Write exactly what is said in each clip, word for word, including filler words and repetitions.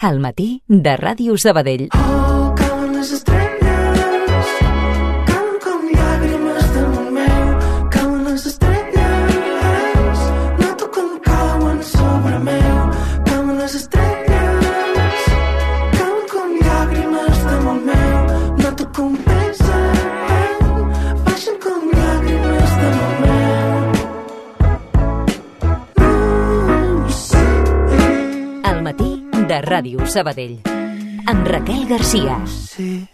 Al matí de Ràdio Sabadell. Oh, cauen les estrelles, cauen com llàgrimes damunt meu, cauen les estrelles, noto com cauen sobre meu, cauen les estrelles, cauen com llàgrimes damunt meu, noto com pesen, baixen com llàgrimes damunt meu. Mm, sí. Al matí de Ràdio Sabadell, amb Raquel Garcia. Sí.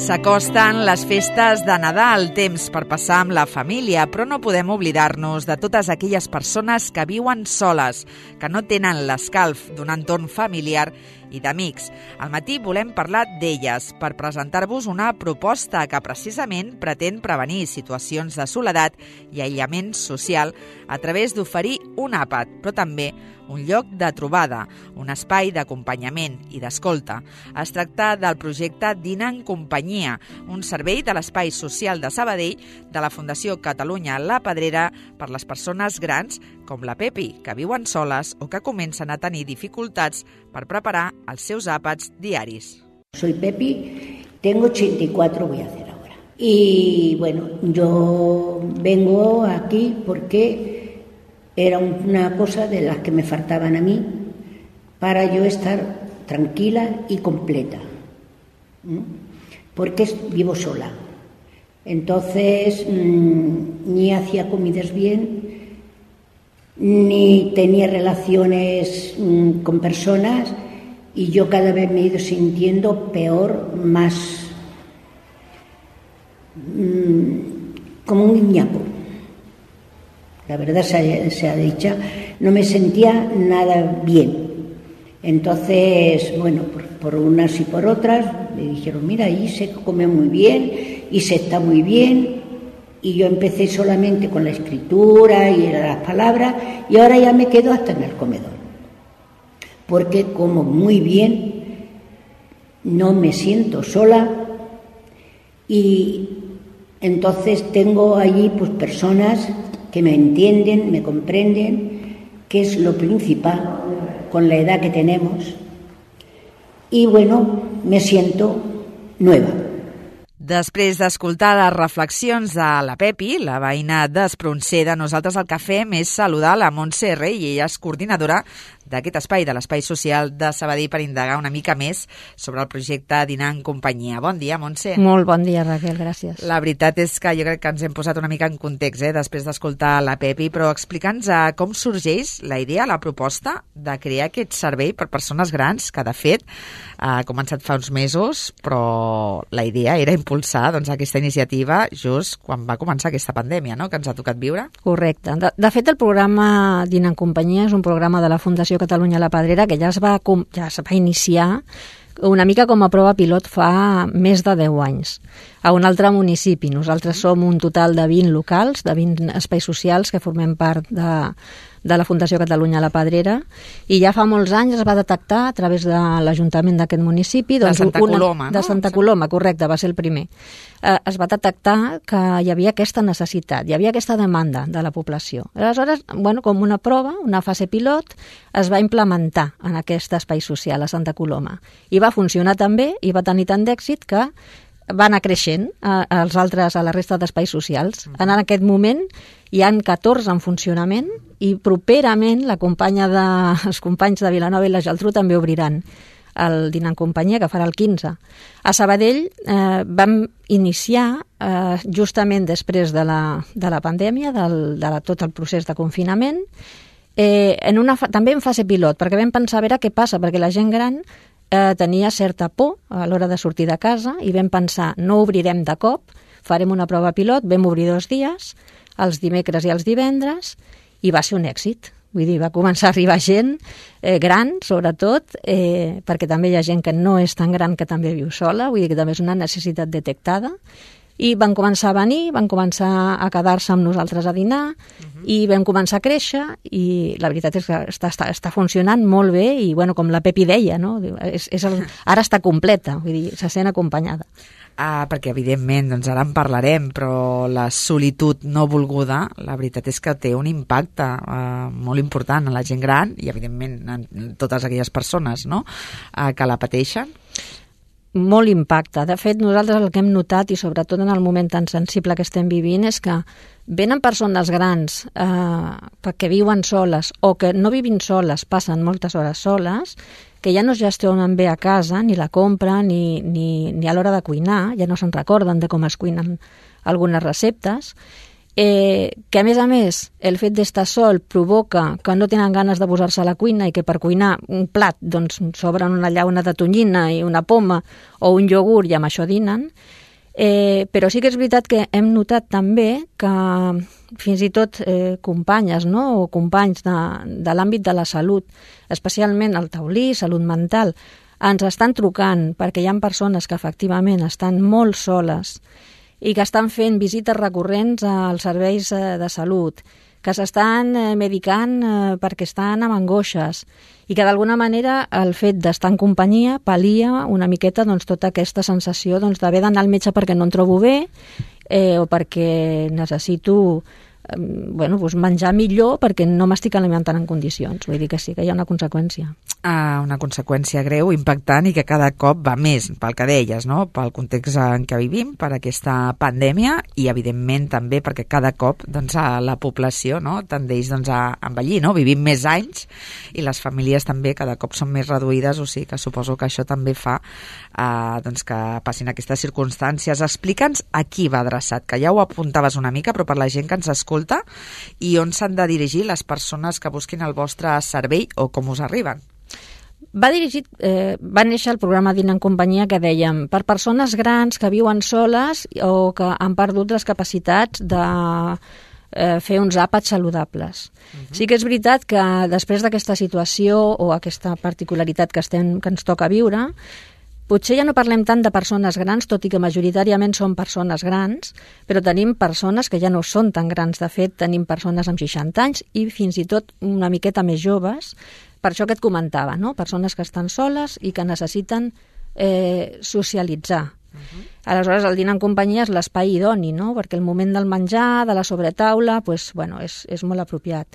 S'acosten les festes de Nadal, temps per passar amb la família, però no podem oblidar-nos de totes aquelles persones que viuen soles, que no tenen l'escalf d'un entorn familiar i d'amics. Al matí volem parlar d'elles per presentar-vos una proposta que precisament pretén prevenir situacions de soledat i aïllament social a través d'oferir un àpat, però també un lloc de trobada, un espai d'acompanyament i d'escolta. Es tracta del projecte Dinar en companyia, un servei de l'Espai Social de Sabadell de la Fundació Catalunya La Pedrera per les persones grans com la Pepi, que viuen soles o que comencen a tenir dificultats per preparar els seus àpats diaris. Soy Pepi, tengo ochenta y cuatro, voy a hacer ahora. Y bueno, yo vengo aquí porque era una cosa de las que me faltaban a mí para yo estar tranquila y completa, ¿no? Porque vivo sola. Entonces mmm, ni hacía comidas bien, ni tenía relaciones mmm, con personas, y yo cada vez me he ido sintiendo peor, más mmm, como un guiñapo. La verdad se, se ha dicho, no me sentía nada bien. Entonces, bueno, por, por unas y por otras, me dijeron, mira, ahí se come muy bien y se está muy bien. Y yo empecé solamente con la escritura y las palabras, y ahora ya me quedo hasta en el comedor. Porque como muy bien, no me siento sola, y entonces tengo allí pues personas que me entienden, me comprenden, que es lo principal con la edad que tenemos, y bueno, me siento nueva. Després d'escoltar les reflexions de la Pepi, la veïna d'Espronceda, nosaltres el que fem és saludar la Montse Rey, i ella és coordinadora d'aquest espai, de l'Espai Social de Sabadell, per indagar una mica més sobre el projecte Dinar en companyia. Bon dia, Montse. Molt bon dia, Raquel, gràcies. La veritat és que jo crec que ens hem posat una mica en context, eh, després d'escoltar la Pepi, però explica'ns eh, com sorgeix la idea, la proposta de crear aquest servei per persones grans, que de fet ha començat fa uns mesos, però la idea era impulsar doncs, aquesta iniciativa just quan va començar aquesta pandèmia, no?, que ens ha tocat viure. Correcte. De, de fet, el programa Dinar en companyia és un programa de la Fundació Catalunya La Pedrera que ja es va, ja es va iniciar una mica com a prova pilot fa més de deu anys, a un altre municipi. Nosaltres som un total de vint locals, de vint espais socials que formem part de, de la Fundació Catalunya La Pedrera, i ja fa molts anys es va detectar a través de l'Ajuntament d'aquest municipi... Doncs, de Santa una, Coloma, no? De Santa Coloma, correcte, va ser el primer. Eh, es va detectar que hi havia aquesta necessitat, hi havia aquesta demanda de la població. Aleshores, bueno, com una prova, una fase pilot, es va implementar en aquest espai social a Santa Coloma. I va funcionar tan bé i va tenir tant d'èxit que va anar creixent a, als altres, a la resta d'espais socials. En aquest moment hi han catorze en funcionament, i properament la companya de, els companys de Vilanova i la Geltrú també obriran el Dinar en companyia, que farà el quinze. A Sabadell eh, vam iniciar eh, justament després de la, de la pandèmia, del, de la, tot el procés de confinament, eh, en una, també en fase pilot, perquè vam pensar a veure què passa, perquè la gent gran eh, tenia certa por a l'hora de sortir de casa, i vam pensar, no obrirem de cop, farem una prova pilot. Vam obrir dos dies, els dimecres i els divendres, i va ser un èxit, Vull dir, va començar a arribar gent eh, gran, sobretot, eh, perquè també hi ha gent que no és tan gran que també viu sola, vull dir que també és una necessitat detectada. I van començar a venir, van començar a quedar-se amb nosaltres a dinar uh-huh. i vam començar a créixer i la veritat és que està, està, està funcionant molt bé i, bueno, com la Pepi deia, no? És, és el, ara està completa, vull dir, se sent acompanyada. Ah, perquè evidentment, doncs ara en parlarem, però la solitud no volguda, la veritat és que té un impacte eh, molt important en la gent gran i evidentment en totes aquelles persones, no?, eh, que la pateixen. Molt impacte. De fet, nosaltres el que hem notat, i sobretot en el moment tan sensible que estem vivint, és que venen persones grans eh, perquè viuen soles o que no vivint soles, passen moltes hores soles, que ja no es gestionen bé a casa, ni la compra, ni, ni, ni a l'hora de cuinar, ja no se'n recorden de com es cuinen algunes receptes, eh, que a més a més el fet d'estar sol provoca que no tenen ganes de posar-se a la cuina i que per cuinar un plat doncs s'obren una llauna de tonyina i una poma o un iogurt i amb això dinen. Eh, però sí que és veritat que hem notat també que fins i tot eh, companyes, no?, o companys de, de l'àmbit de la salut, especialment el taulí, salut mental, ens estan trucant perquè hi ha persones que efectivament estan molt soles i que estan fent visites recurrents als serveis de salut, que s'estan medicant perquè estan amb angoixes i que d'alguna manera el fet d'estar en companyia pal·lia una miqueta doncs, tota aquesta sensació doncs, d'haver d'anar al metge perquè no em trobo bé eh, o perquè necessito eh, bueno, doncs menjar millor perquè no m'estic alimentant en condicions. Vull dir que sí, que hi ha una conseqüència. Ah, una conseqüència greu, impactant i que cada cop va més, pel que deies, no?, pel context en què vivim, per aquesta pandèmia i, evidentment, també perquè cada cop doncs, la població, no?, tendeix doncs, a envellir, no?, vivim més anys i les famílies també cada cop són més reduïdes, o sigui que suposo que això també fa eh, doncs, que passin aquestes circumstàncies. Explica'ns a qui va adreçat, que ja ho apuntaves una mica, però per la gent que ens escolta, i on s'han de dirigir les persones que busquin el vostre servei o com us arriben. Va dirigit, eh, va néixer el programa Dina en companyia que dèiem per persones grans que viuen soles o que han perdut les capacitats de eh, fer uns àpats saludables. Uh-huh. Sí que és veritat que després d'aquesta situació o aquesta particularitat que, estem, que ens toca viure, potser ja no parlem tant de persones grans, tot i que majoritàriament són persones grans, però tenim persones que ja no són tan grans. De fet, tenim persones amb seixanta anys i fins i tot una miqueta més joves, per això que et comentava, no? Persones que estan soles i que necessiten eh, socialitzar. Uh-huh. Aleshores, el dinar en companyia és l'espai idoni, no? Perquè el moment del menjar, de la sobretaula, pues, bueno, és, és molt apropiat.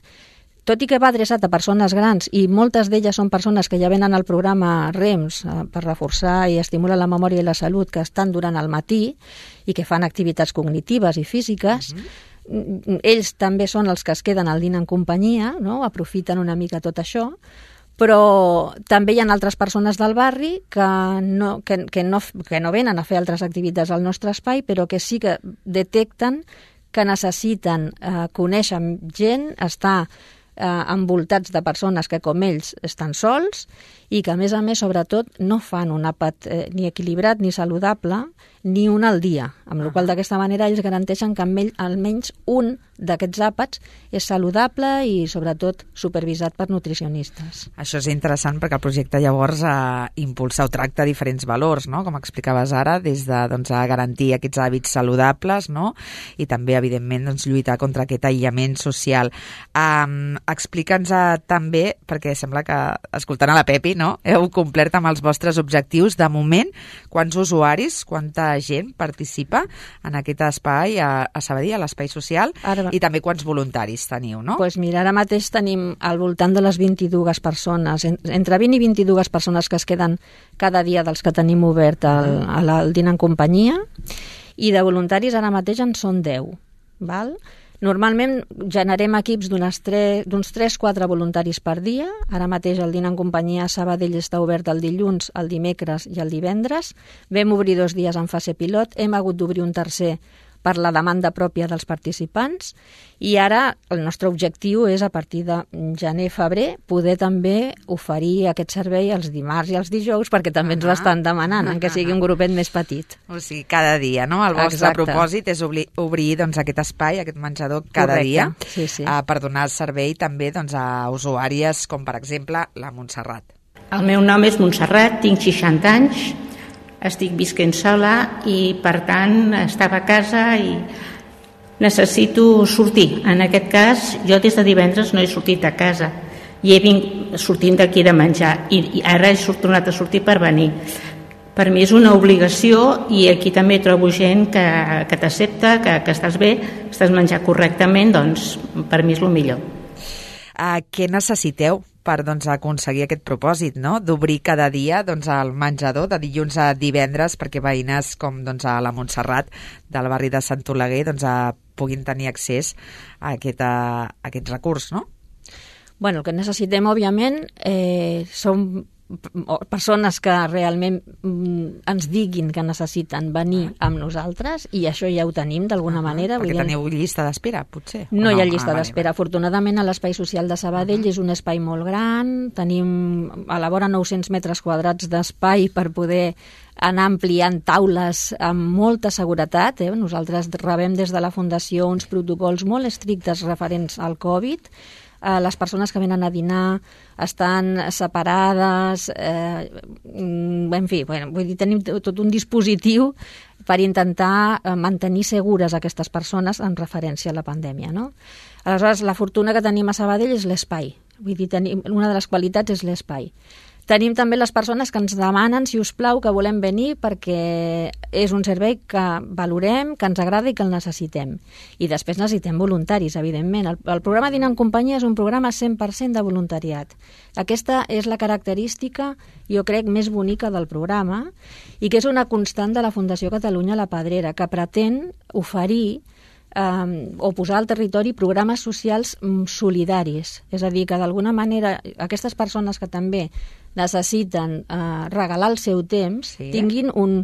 Tot i que va adreçat a persones grans i moltes d'elles són persones que ja venen al programa REMS eh, per reforçar i estimular la memòria i la salut, que estan durant el matí i que fan activitats cognitives i físiques, uh-huh. ells també són els que es queden al dinar en companyia, no? Aprofiten una mica tot això, però també hi ha altres persones del barri que no, que, que no, que no venen a fer altres activitats al nostre espai, però que sí que detecten que necessiten eh, conèixer gent, estar eh, envoltats de persones que com ells estan sols i que a més a més sobretot no fan un àpat eh, ni equilibrat ni saludable ni un al dia, amb la qual d'aquesta manera ells garanteixen que almenys un d'aquests àpats és saludable i sobretot supervisat per nutricionistes. Això és interessant perquè el projecte llavors eh, impulsa o tracta diferents valors, no?, com explicaves ara, des de doncs, a garantir aquests hàbits saludables, no?, i també evidentment doncs, lluitar contra aquest aïllament social. Um, Explica'ns uh, també, perquè sembla que escoltant a la Pepi, no?, heu complert amb els vostres objectius. De moment, quants usuaris, quanta gent participa en aquest espai a, a Sabadell, a l'espai social, ara, i també quants voluntaris teniu, no? Pues mira, ara mateix tenim al voltant de les vint-i-dues persones, entre vint i vint-i-dues persones que es queden cada dia dels que tenim obert al, al, al dinar en companyia, i de voluntaris ara mateix en són deu, val? Normalment generem equips d'uns tres quatre voluntaris per dia. Ara mateix el dinar en companyia a Sabadell està obert el dilluns, el dimecres i el divendres. Vam obrir dos dies en fase pilot, hem hagut d'obrir un tercer per la demanda pròpia dels participants, i ara el nostre objectiu és, a partir de gener-febrer, poder també oferir aquest servei els dimarts i els dijous, perquè també ens l'estan demanant, en que sigui un grupet més petit. O sigui, cada dia, no? El vostre Exacte. propòsit és obrir, obrir doncs, aquest espai, aquest menjador, cada Correcte. dia, Sí, sí. eh, per donar servei també doncs, a usuàries com, per exemple, la Montserrat. El meu nom és Montserrat, tinc seixanta anys, estic visquent sola i, per tant, estava a casa i necessito sortir. En aquest cas, jo des de divendres no he sortit a casa i he vingut sortint d'aquí de menjar i, i ara he tornat a sortir per venir. Per mi és una obligació i aquí també trobo gent que, que t'accepta, que, que estàs bé, estàs menjant correctament, doncs per mi és el millor. Uh, què necessiteu per doncs, aconseguir aquest propòsit, no? D'obrir cada dia doncs, el menjador de dilluns a divendres perquè veïnes com doncs, a la Montserrat del barri de Sant Oleguer doncs, a, puguin tenir accés a aquest, a, a aquest recurs, no? Bueno, el que necessitem, òbviament, eh, són persones que realment mm, ens diguin que necessiten venir amb nosaltres, i això ja ho tenim d'alguna uh-huh, manera. Perquè Vull dir, teniu llista d'espera, potser? No, no hi ha llista ah, d'espera. Afortunadament, a l'Espai Social de Sabadell uh-huh. és un espai molt gran, tenim a la vora nou-cents metres quadrats d'espai per poder anar ampliant taules amb molta seguretat. Eh? Nosaltres rebem des de la Fundació uns protocols molt estrictes referents al Covid. Eh, les persones que venen a dinar estan separades, eh, en fi, bueno, vull dir, tenim tot un dispositiu per intentar mantenir segures aquestes persones en referència a la pandèmia, no? Aleshores, la fortuna que tenim a Sabadell és l'espai. Vull dir, tenim, una de les qualitats és l'espai. Tenim també les persones que ens demanen, si us plau, que volem venir perquè és un servei que valorem, que ens agrada i que el necessitem. I després necessitem voluntaris, evidentment. El, el programa Dinar en Companyia és un programa cent per cent de voluntariat. Aquesta és la característica, jo crec, més bonica del programa i que és una constant de la Fundació Catalunya La Pedrera, que pretén oferir eh, o posar al territori programes socials solidaris. És a dir, que d'alguna manera aquestes persones que també necessiten eh, regalar el seu temps, sí. tinguin un,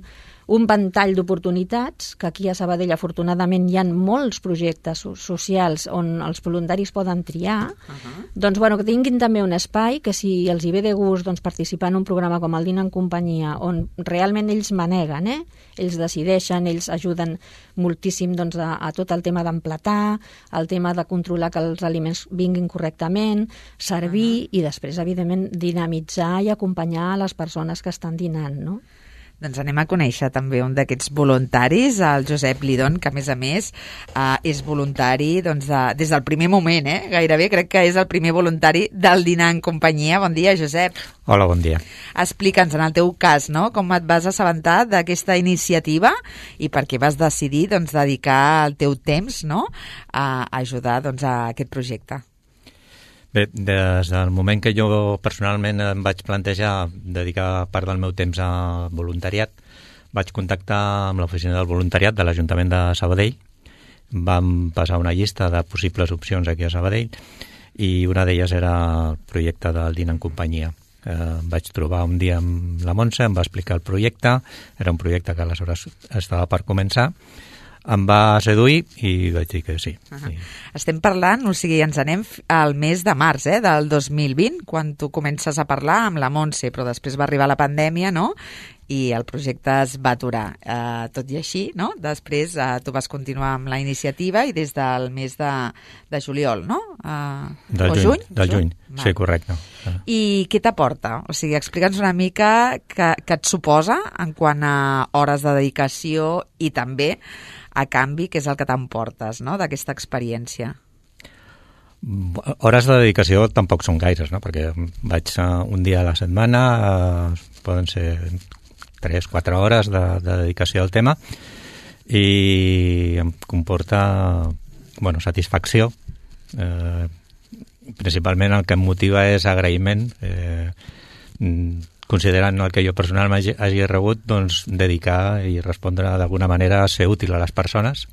un ventall d'oportunitats, que aquí a Sabadell afortunadament hi ha molts projectes socials on els voluntaris poden triar, uh-huh. doncs bueno, que tinguin també un espai que si els hi ve de gust doncs, participar en un programa com el Dinar en Companyia, on realment ells maneguen, eh? ells decideixen, ells ajuden moltíssim doncs, a, a tot el tema d'emplatar, el tema de controlar que els aliments vinguin correctament, servir uh-huh. i després, evidentment, dinamitzar i acompanyar les persones que estan dinant, no? Doncs anem a conèixer també un d'aquests voluntaris, el Josep Lidón, que a més a més eh, és voluntari doncs, de, des del primer moment, eh? gairebé crec que és el primer voluntari del Dinar en Companyia. Bon dia, Josep. Hola, bon dia. Explica'ns, en el teu cas, no? com et vas assabentar d'aquesta iniciativa i per què vas decidir doncs, dedicar el teu temps, no? a ajudar doncs, a aquest projecte. Bé, des del moment que jo personalment em vaig plantejar dedicar part del meu temps a voluntariat, vaig contactar amb l'oficina del voluntariat de l'Ajuntament de Sabadell. Vam passar una llista de possibles opcions aquí a Sabadell i una d'elles era el projecte del Dinar en Companyia. Eh, vaig trobar un dia amb la Montse, em va explicar el projecte, era un projecte que aleshores estava per començar. Em va seduir i vaig dir que sí. Uh-huh. sí. Estem parlant, o sigui, ens anem al mes de març eh, del dos mil vint, quan tu comences a parlar amb la Montse, però després va arribar la pandèmia, no?, i el projecte es va aturar. Uh, tot i així, no?, després uh, tu vas continuar amb la iniciativa i des del mes de, de juliol, no?, uh, del o juny, juny? Del juny, juny. Sí, correcte. I què t'aporta? O sigui, explica'ns una mica què, què et suposa en quant a hores de dedicació i també a canvi, que és el que t'emportes, no?, d'aquesta experiència. Hores de dedicació tampoc són gaires, no?, perquè vaig un dia a la setmana, eh, poden ser tres quatre hores de, de dedicació al tema i em comporta bueno, satisfacció. Eh, principalment el que em motiva és agraïment, eh, considerant el que jo personalment hagi, hagi rebut, doncs dedicar i respondre d'alguna manera a ser útil a les persones,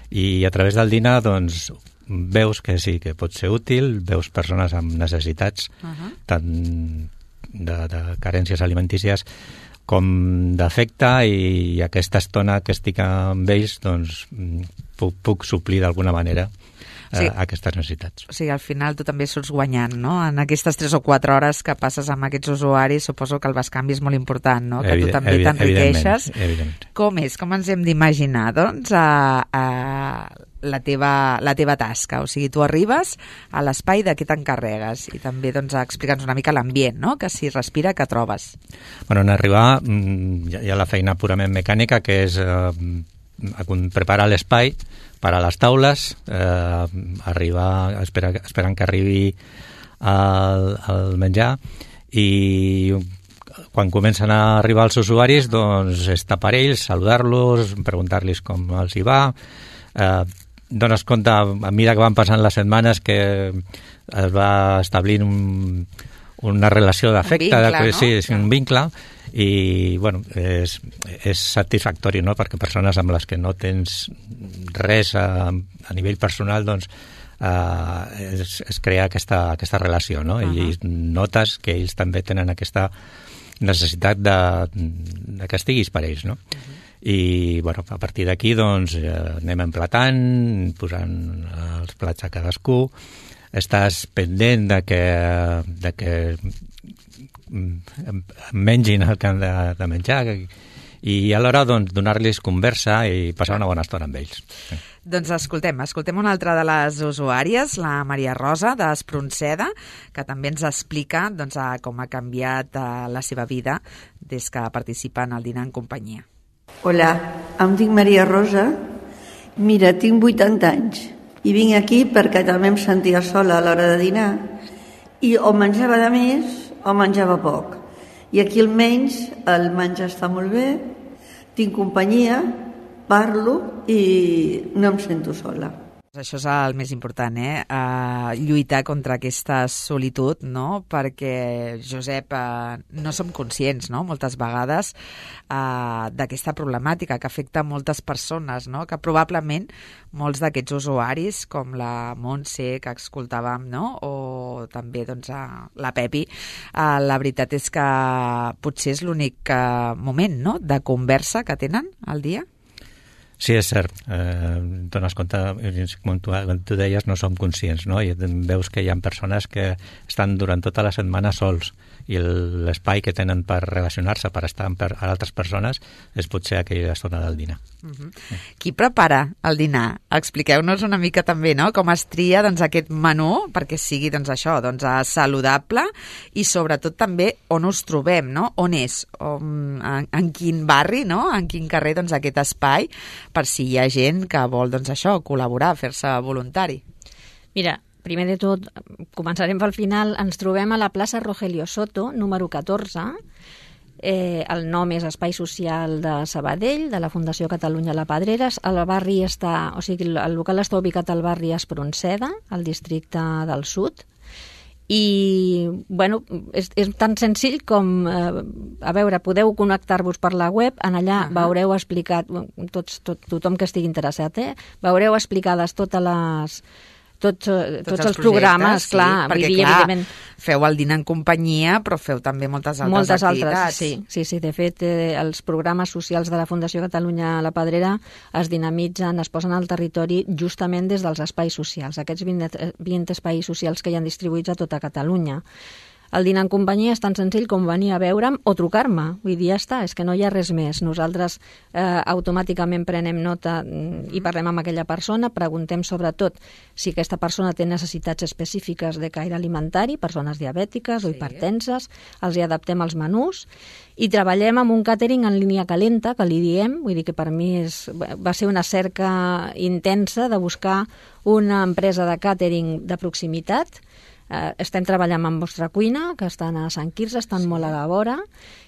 i a través del dinar doncs veus que sí, que pot ser útil, veus persones amb necessitats uh-huh. tant de, de carències alimentícies com d'afecte, i aquesta estona que estic amb ells doncs puc, puc suplir d'alguna manera eh, sí. aquestes necessitats. O sigui, al final tu també surts guanyant, no? En aquestes tres o quatre hores que passes amb aquests usuaris, suposo que el bescanvi és molt important, no? Que tu també t'enriqueixes. Com és? Com ens hem d'imaginar, doncs, a, a la teva, la teva tasca? O sigui, tu arribes a l'espai de què t'encarregues i també, doncs, explica'ns una mica l'ambient, no? Que s'hi respira, que trobes. Bueno, en arribar hi ha la feina purament mecànica, que és eh, preparar l'espai per a les taules, eh, arribar, espera, esperant que arribi el, el menjar, i quan comencen a arribar els usuaris, doncs estar per ells, saludar-los, preguntar-los com els hi va. Eh, dones compte, a mesura que van passant les setmanes, que es va establint un, una relació d'afecte, un vincle, de, no? Sí, és un vincle, i bueno, és, és satisfactori, no? Perquè persones amb les que no tens res a, a nivell personal, doncs eh, es, es crea aquesta, aquesta relació, no? Uh -huh. I notes que ells també tenen aquesta necessitat de, de que estiguis per ells, no? Uh -huh. I bueno, a partir d'aquí doncs eh, anem emplatant, posant els plats a cadascú, estàs pendent de que, de que mengin el que han de, de menjar, i alhora doncs, donar-los conversa i passar una bona estona amb ells. Sí. Doncs escoltem, escoltem una altra de les usuàries, la Maria Rosa d'Espronceda, que també ens explica doncs, com ha canviat la seva vida des que participa en el dinar en companyia. Hola, em dic Maria Rosa. Mira, tinc vuitanta anys i vinc aquí perquè també em sentia sola a l'hora de dinar i o menjava de més o menjava poc. I aquí almenys el menjar està molt bé, tinc companyia, parlo i no em sento sola. Això és el més important, eh? Uh, lluitar contra aquesta solitud, no? Perquè, Josep, uh, no som conscients, no?, moltes vegades uh, d'aquesta problemàtica que afecta moltes persones, no?, que probablement molts d'aquests usuaris, com la Montse, que escoltàvem, no?, o també doncs, uh, la Pepi, uh, la veritat és que potser és l'únic uh, moment, no?, de conversa que tenen al dia. Sí, és cert. Eh, dones compte, com tu, com tu deies, no som conscients, no? I veus que hi ha persones que estan durant tota la setmana sols, i l'espai que tenen per relacionar-se, per estar amb altres persones, és potser aquella estona del dinar. Uh-huh. Sí. Qui prepara el dinar? Expliqueu-nos una mica també, no?, com es tria doncs, aquest menú perquè sigui doncs, això, doncs, saludable, i sobretot també on us trobem, no?, on és, on, en, en quin barri, no?, en quin carrer, doncs, aquest espai, per si hi ha gent que vol, doncs, això, col·laborar, fer-se voluntari. Mira, primer de tot, començarem pel final, ens trobem a la plaça Rogelio Soto, número catorze. Eh, el nom és Espai Social de Sabadell, de la Fundació Catalunya La Pedreres. El barri està, o sigui, el local està ubicat al barri Espronceda, al districte del Sud. I, bueno, és, és tan senzill com, eh, a veure, podeu connectar-vos per la web, en allà uh-huh. veureu explicat, tots, tot, tothom que estigui interessat, eh, veureu explicades totes les... Tots, tots, tots els, els programes, sí, clar, perquè, vull dir, clar, evidentment, feu el dinar en companyia, però feu també moltes altres moltes activitats. Altres, sí, sí, sí, de fet, eh, els programes socials de la Fundació Catalunya La Pedrera es dinamitzen, es posen al territori justament des dels espais socials, aquests vint, vint espais socials que hi han distribuïts a tota Catalunya. El dinar en companyia és tan senzill com venir a veure'm o trucar-me. Vull dir, ja està, és que no hi ha res més. Nosaltres eh, automàticament prenem nota i parlem amb aquella persona, preguntem sobretot si aquesta persona té necessitats específiques de caire alimentari, persones diabètiques sí. o hipertenses, els hi adaptem els menús i treballem amb un càtering en línia calenta, que li diem, vull dir que per mi és, va ser una cerca intensa de buscar una empresa de càtering de proximitat. Uh, estem treballant amb Vostra Cuina, que estan a Sant Quirze, estan sí. molt a la vora,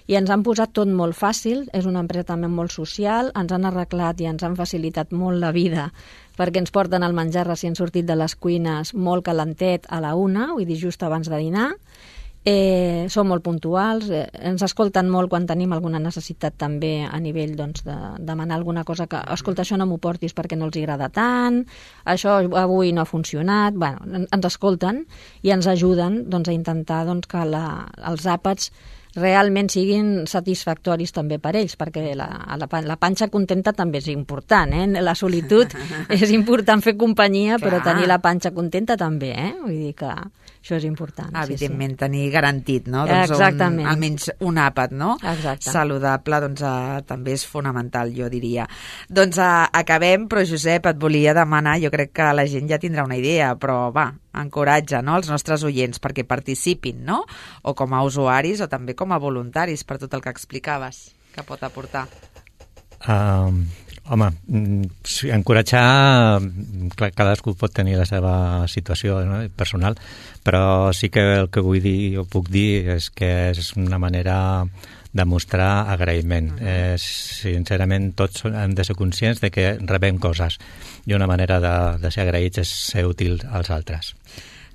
i ens han posat tot molt fàcil. És una empresa també molt social, ens han arreglat i ens han facilitat molt la vida, perquè ens porten el menjar recient sortit de les cuines molt calentet a la una, vull dir, just abans de dinar. Eh, són molt puntuals, eh, ens escolten molt quan tenim alguna necessitat també a nivell doncs, de demanar alguna cosa que, escolta, això no m'ho portis perquè no els agrada tant, això avui no ha funcionat. Bueno, ens escolten i ens ajuden doncs, a intentar doncs, que la, els àpats realment siguin satisfactoris també per ells, perquè la, la, la panxa contenta també és important, eh? La solitud és important fer companyia, clar, però tenir la panxa contenta també, eh? Vull dir que això és important. Evidentment, sí, sí. tenir garantit, no? Doncs exactament. Un, almenys un àpat, no? Exacte. Saludable, doncs uh, també és fonamental, jo diria. Doncs uh, acabem, però Josep, et volia demanar, jo crec que la gent ja tindrà una idea, però va, encoratja, no?, els nostres oients perquè participin, no?, o com a usuaris o també com a voluntaris per tot el que explicaves, que pot aportar. Um, home, sí, encoratjar, clar, cadascú pot tenir la seva situació, no?, personal, però sí que el que vull dir o puc dir és que és una manera de mostrar agraïment. Uh -huh. eh, sincerament, tots hem de ser conscients de que rebem coses i una manera de, de ser agraïts és ser útil als altres.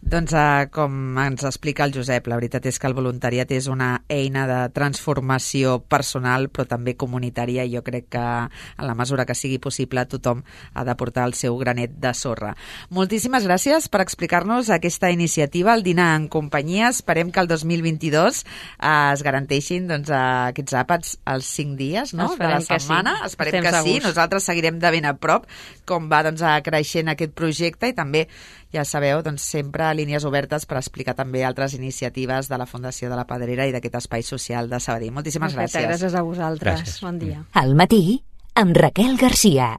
Doncs uh, com ens explica el Josep, la veritat és que el voluntariat és una eina de transformació personal però també comunitària, i jo crec que en la mesura que sigui possible tothom ha de portar el seu granet de sorra. Moltíssimes gràcies per explicar-nos aquesta iniciativa, el dinar en companyia. Esperem que el dos mil vint-i-dos uh, es garanteixin doncs, uh, aquests àpats els cinc dies, no?, de la setmana. Sí. Esperem Estem que segurs. sí. Nosaltres seguirem de ben a prop com va doncs, creixent aquest projecte, i també, ja sabeu, doncs, sempre línies obertes per explicar també altres iniciatives de la Fundació de la Pedrera i d'aquest espai social de Sabadell. Moltíssimes gràcies. Gràcies a vosaltres. Gràcies. Bon dia. Al matí, amb Raquel Garcia.